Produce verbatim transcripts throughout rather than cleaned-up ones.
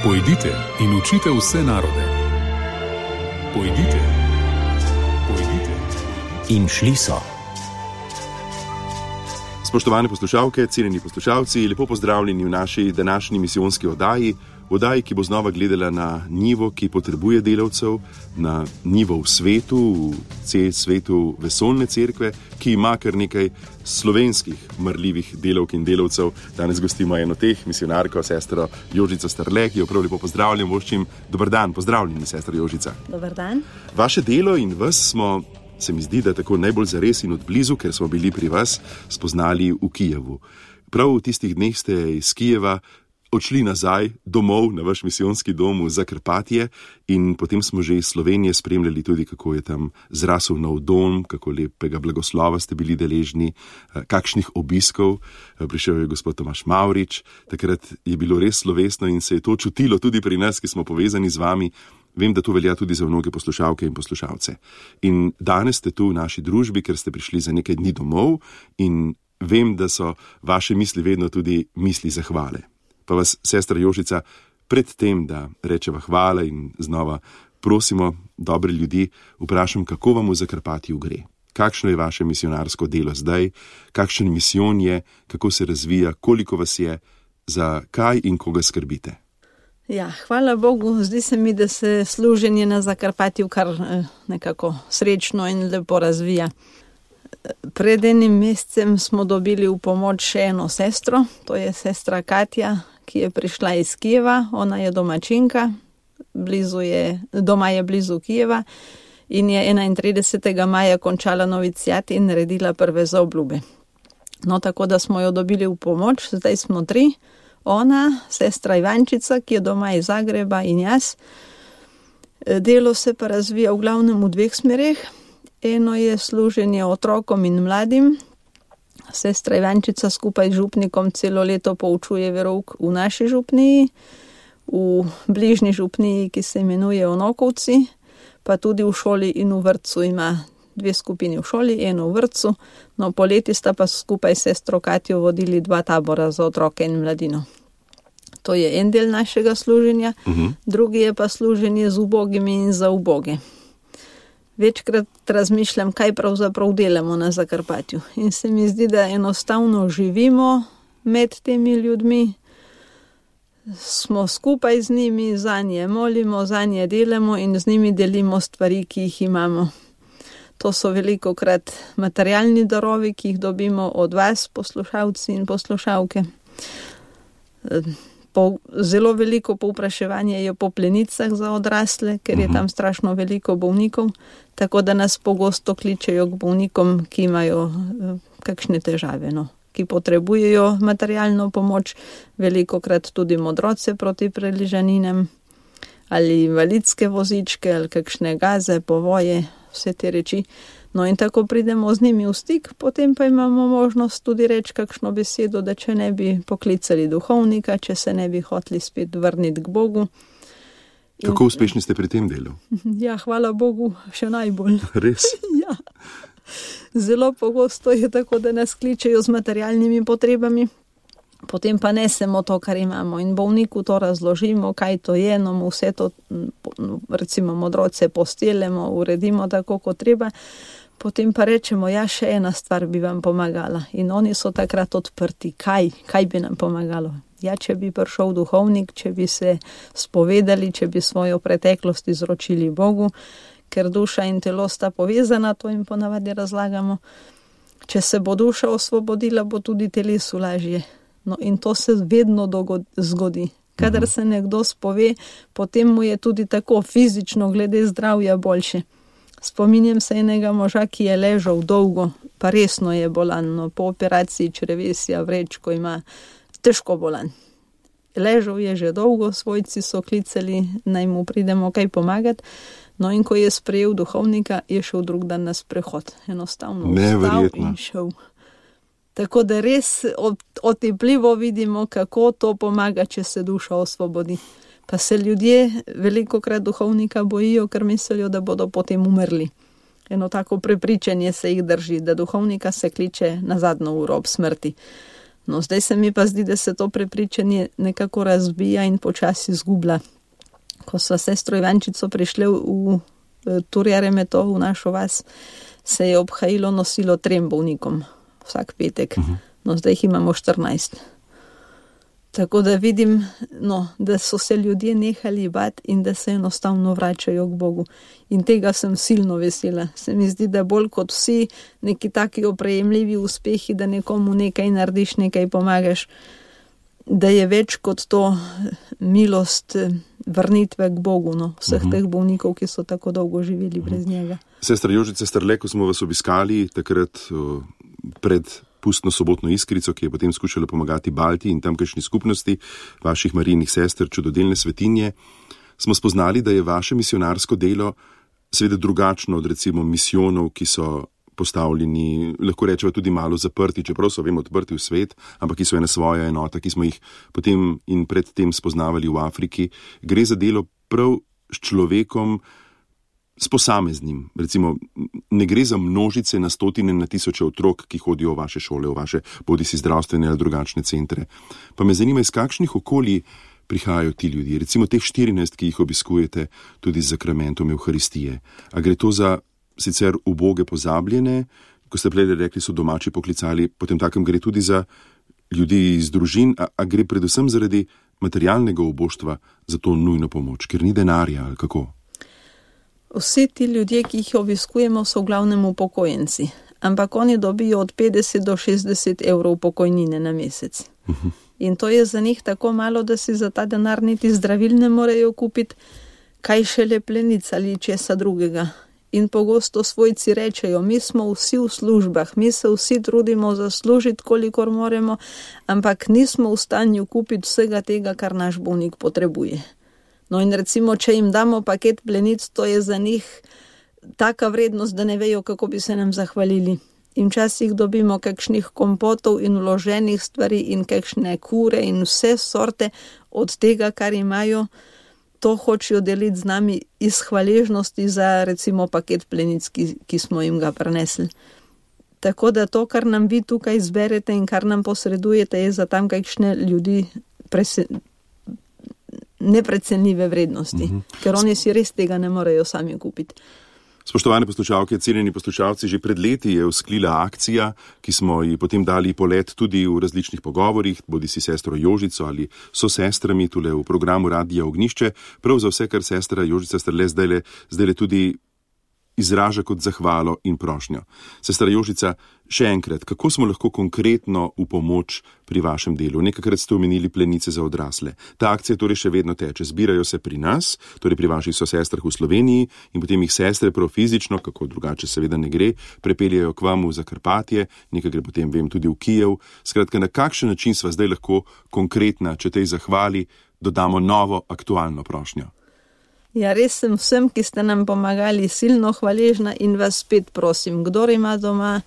Pojdite in učite vse narode. Pojdite, pojdite. In šli so. Spoštovane poslušalke, cenjeni poslušalci, lepo pozdravljeni v naši današnji misijonski oddaji, oddaji, ki bo znova gledala na njivo, ki potrebuje delavcev, na njivo v svetu, v cel svetu vesoljne cerkve, ki ima kar nekaj slovenskih marljivih delavk in delavcev. Danes gostimo eno teh, misionarko, sestro Jožico Starle, ki jo prav lepo pozdravljam, voščim. Dobar dan, pozdravljeni, sestra Jožica. Dobar dan. Vaše delo in vas smo, se mi zdi, da tako najbolj zares in odblizu, ker smo bili pri vas, spoznali v Kijevu. Prav v tistih dneh ste iz Kijeva odšli nazaj domov na vaš misijonski dom v Zakrpatje in potem smo že iz Slovenije spremljali tudi, kako je tam zrasel nov dom, kako lepega blagoslova ste bili deležni, kakšnih obiskov. Prišel je gospod Tomaž Mavrič, takrat je bilo res slovesno in se je to čutilo tudi pri nas, ki smo povezani z vami. Vem, da to velja tudi za mnoge poslušalke in poslušalce. In danes ste tu v naši družbi, ker ste prišli za nekaj dni domov in vem, da so vaše misli vedno tudi misli zahvale. Pa vas, sestra Jožica, pred tem, da rečeva hvala in znova prosimo dobre ljudi, vprašam, kako vam v Zakrpatju gre. Kakšno je vaše misionarsko delo zdaj, kakšen misijon je, kako se razvija, koliko vas je, za kaj in koga skrbite? Ja, hvala Bogu, zdi se mi, da se služenje na Zakrpatju kar nekako srečno in lepo razvija. Pred enim mesecem smo dobili v pomoč še eno sestro, to je sestra Katja, ki je prišla iz Kijeva, ona je domačinka, blizu je, doma je blizu Kijeva in je enaintridesetega maja končala novicijat in naredila prve zaobljube. No, tako da smo jo dobili v pomoč, zdaj smo tri. Ona, sestra Ivančica, ki je doma iz Zagreba, in jaz. Delo se pa razvija v glavnem v dveh smereh. Eno je služenje otrokom in mladim. Sestra Ivančica skupaj z župnikom celo leto poučuje verouk v naši župniji, v bližnji župniji, ki se imenuje Onokovci, pa tudi v šoli in v vrtcu ima dve skupini v šoli, eno v vrtcu. No, poleti sta pa skupaj s sestro Katjo vodili dva tabora za otroke in mladino. To je en del našega služenja, uh-huh. Drugi je pa služenje z ubogimi in za uboge. Večkrat razmišljam, kaj pravzaprav delamo na Zakrpatju. In se mi zdi, da enostavno živimo med temi ljudmi, smo skupaj z njimi, za nje molimo, za nje delamo in z njimi delimo stvari, ki jih imamo. To so velikokrat materialni darovi, ki jih dobimo od vas, poslušalci in poslušalke. Po, zelo veliko povpraševanje je po plenicah za odrasle, ker je tam strašno veliko bolnikov, tako da nas pogosto kličejo k bolnikom, ki imajo kakšne težave, no, ki potrebujejo materialno pomoč, velikokrat tudi modroce proti preližaninam, ali invalidske vozičke, ali kakšne gaze, povoje, vse te reči. No in tako pridemo z njimi v stik, potem pa imamo možnost tudi reči kakšno besedo, da če ne bi poklicali duhovnika, če se ne bi hoteli spet vrniti k Bogu. In... Kako uspešni ste pri tem delu? Ja, hvala Bogu, še najbolj. Res? Ja. Zelo pogosto je tako, da nas kličejo z materialnimi potrebami, potem pa nesemo to, kar imamo in bolniku to razložimo, kaj to je, no mu vse to, recimo modroce postelemo, uredimo tako, kot treba, potem pa rečemo, ja, še ena stvar bi vam pomagala in oni so takrat odprti, kaj, kaj bi nam pomagalo. Ja, če bi prišel duhovnik, če bi se spovedali, če bi svojo preteklost izročili Bogu, ker duša in telo sta povezana, to jim ponavadi razlagamo. Če se bo duša osvobodila, bo tudi telesu lažje. No in to se vedno zgodi. Kadar se nekdo spove, potem mu je tudi tako fizično glede zdravja boljše. Spominjam se enega moža, ki je ležal dolgo, pa resno je bolan, no, po operaciji črevesja vrečko ima težko bolan. Ležal je že dolgo, svojci so klicali, naj mu pridemo kaj pomagati, no in ko je sprejel duhovnika, je šel drug dan na sprehod. Enostavno vstal in šel. Tako da res otepljivo vidimo, kako to pomaga, če se duša osvobodi. Pa se ljudje velikokrat duhovnika bojijo, ker mislijo, da bodo potem umrli. Eno tako prepričanje se jih drži, da duhovnika se kliče na zadnjo uro ob smrti. No, zdaj se mi pa zdi, da se to prepričanje nekako razbija in počasi izgublja. Ko sva sestro Ivančico prišli v, v Turjaremeto, v našo vas, se je obhajilo nosilo trem bolnikom vsak petek. No, zdaj jih imamo štirinajst. Tako da vidim, no, da so se ljudje nehali bati in da se enostavno vračajo k Bogu. In tega sem silno vesela. Se mi zdi, da bolj kot vsi neki taki oprejemljivi uspehi, da nekomu nekaj narediš, nekaj pomagaš, da je več kot to milost vrnitve k Bogu, no, vseh uh-huh. teh bolnikov, ki so tako dolgo živeli uh-huh. brez njega. Sestra Jožica Strle, ko smo vas obiskali takrat uh, pred pustno sobotno iskrico, ki je potem skušala pomagati Balti in tamkajšnji skupnosti vaših Marijinih sester, čudodelne svetinje, smo spoznali, da je vaše misionarsko delo seveda drugačno od recimo misijonov, ki so postavljeni, lahko rečeva tudi malo zaprti, čeprav so vem odprti v svet, ampak ki so ena svoja enota, ki smo jih potem in predtem spoznavali v Afriki. Gre za delo prav s človekom, s posameznim. Recimo, ne gre za množice na stotine, na tisoče otrok, ki hodijo v vaše šole, v vaše bodisi zdravstvene ali drugačne centre. Pa me zanima, iz kakšnih okolij prihajajo ti ljudje, recimo teh štirinajst, ki jih obiskujete tudi z zakramentom Evharistije. A gre to za sicer uboge pozabljene, ko ste prej rekli, so domači poklicali, potem takem gre tudi za ljudi iz družin, a, a gre predvsem zaradi materialnega uboštva za to nujno pomoč, ker ni denarja ali kako? Vsi ti ljudje, ki jih obiskujemo, so v glavnem upokojenci, ampak oni dobijo od petdeset do šestdeset evrov pokojnine na mesec. Uh-huh. In to je za njih tako malo, da si za ta denar niti zdravil ne morejo kupiti, kaj šele plenic ali česa drugega. In pogosto svojci rečejo, mi smo vsi v službah, mi se vsi trudimo zaslužiti, kolikor moremo, ampak nismo v stanju kupiti vsega tega, kar naš bolnik potrebuje. No in recimo, če jim damo paket plenic, to je za njih taka vrednost, da ne vejo, kako bi se nam zahvalili. In včasih dobimo kakšnih kompotov in vloženih stvari in kakšne kure in vse sorte od tega, kar imajo, to hočejo deliti z nami iz hvaležnosti za recimo paket plenic, ki, ki smo jim ga prinesli. Tako da to, kar nam vi tukaj zberete in kar nam posredujete, je za tam kakšne ljudi prese, neprecenljive vrednosti, mm-hmm. ker oni si res tega ne morejo sami kupiti. Spoštovane poslušalke, cenjeni poslušalci, že pred leti je vzklila akcija, ki smo ji potem dali polet tudi v različnih pogovorih, bodi si sestro Jožico ali so sestrami tule v programu Radija Ognjišče, prav za vse, kar sestra Jožica Strle zdajle, zdajle tudi izraža kot zahvalo in prošnjo. Sestra Jožica, še enkrat, kako smo lahko konkretno v pomoč pri vašem delu? Nekakrat ste omenili plenice za odrasle. Ta akcija torej še vedno teče. Zbirajo se pri nas, torej pri vaših sosestrah v Sloveniji in potem jih sestre prav fizično, kako drugače seveda ne gre, prepeljajo k vam v Zakarpatje, nekaj gre potem, vem, tudi v Kijev. Skratka, na kakšen način sva zdaj lahko konkretna, če tej zahvali dodamo novo aktualno prošnjo? Ja, res sem vsem, ki ste nam pomagali, silno hvaležna in vas spet prosim, kdor ima doma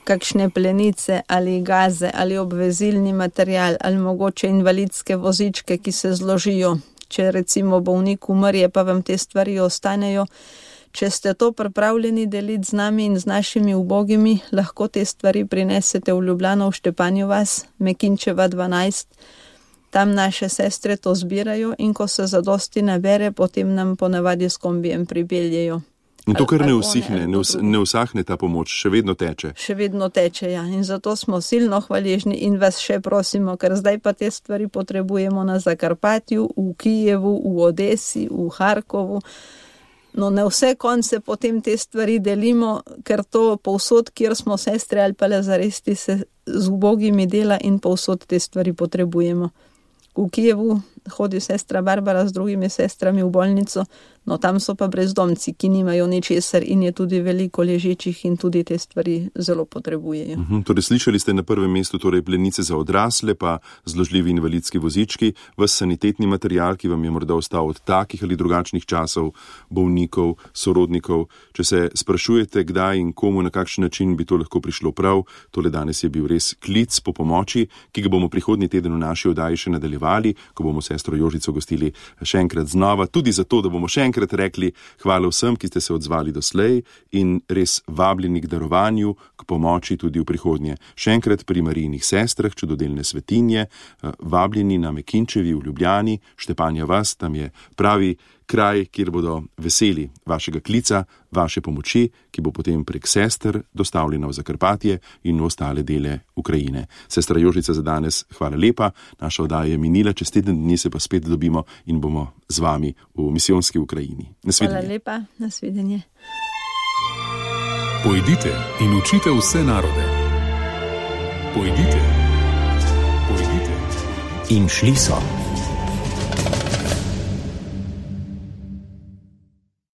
kakšne plenice ali gaze ali obvezilni material ali mogoče invalidske vozičke, ki se zložijo, če recimo bolnik umrje, pa vam te stvari ostanejo. Če ste to pripravljeni deliti z nami in z našimi ubogimi, lahko te stvari prinesete v Ljubljano, v Štepanjo vas, Mekinčeva dvanajst. Tam naše sestre to zbirajo in ko se zadosti nabere, potem nam ponavadi s kombijem pripeljejo. In to kar ne usihne, ne, us, ne usahne ta pomoč, še vedno teče. Še vedno teče, ja. In zato smo silno hvaležni in vas še prosimo, ker zdaj pa te stvari potrebujemo na Zakarpatju, v Kijevu, v Odesi, v Harkovu. No, na vse konce potem te stvari delimo, ker to povsod, kjer smo sestre ali pa lazaresti, se z ubogimi dela in povsod te stvari potrebujemo. V Kijevu hodi sestra Barbara z drugimi sestrami v bolnico, no tam so pa brezdomci, ki nimajo ničesar in je tudi veliko ležečih in tudi te stvari zelo potrebujejo. Uhum, torej slišali ste na prvem mestu torej plenice za odrasle, pa zložljivi invalidski vozički, vas sanitetni material, ki vam je morda ostal od takih ali drugačnih časov, bolnikov, sorodnikov. Če se sprašujete, kdaj in komu, na kakšen način bi to lahko prišlo prav, tole danes je bil res klic po pomoči, ki ga bomo prihodnji teden v naši oddaji še nadaljevali, ko bomo sestro Jožico gostili še enkrat znova, tudi zato, da bomo še enkrat enkrat rekli hvala vsem, ki ste se odzvali doslej in res vabljeni k darovanju, k pomoči tudi v prihodnje. Še enkrat pri Marijinih sestrah, čudodelne svetinje, vabljeni na Mekinčevi v Ljubljani, Štepanja vas, tam je pravi kraj, kjer bodo veseli vašega klica, vaše pomoči, ki bo potem prek sester dostavljena v Zakarpatje in v ostale dele Ukrajine. Sestra Jožica, za danes hvala lepa, naša oddaja je minila, čez teden dni se pa spet dobimo in bomo z vami v misijonski Ukrajini. Nasvidenje. Hvala lepa, nasvidenje. Pojdite in učite vse narode. Pojdite. Pojdite. In šli so.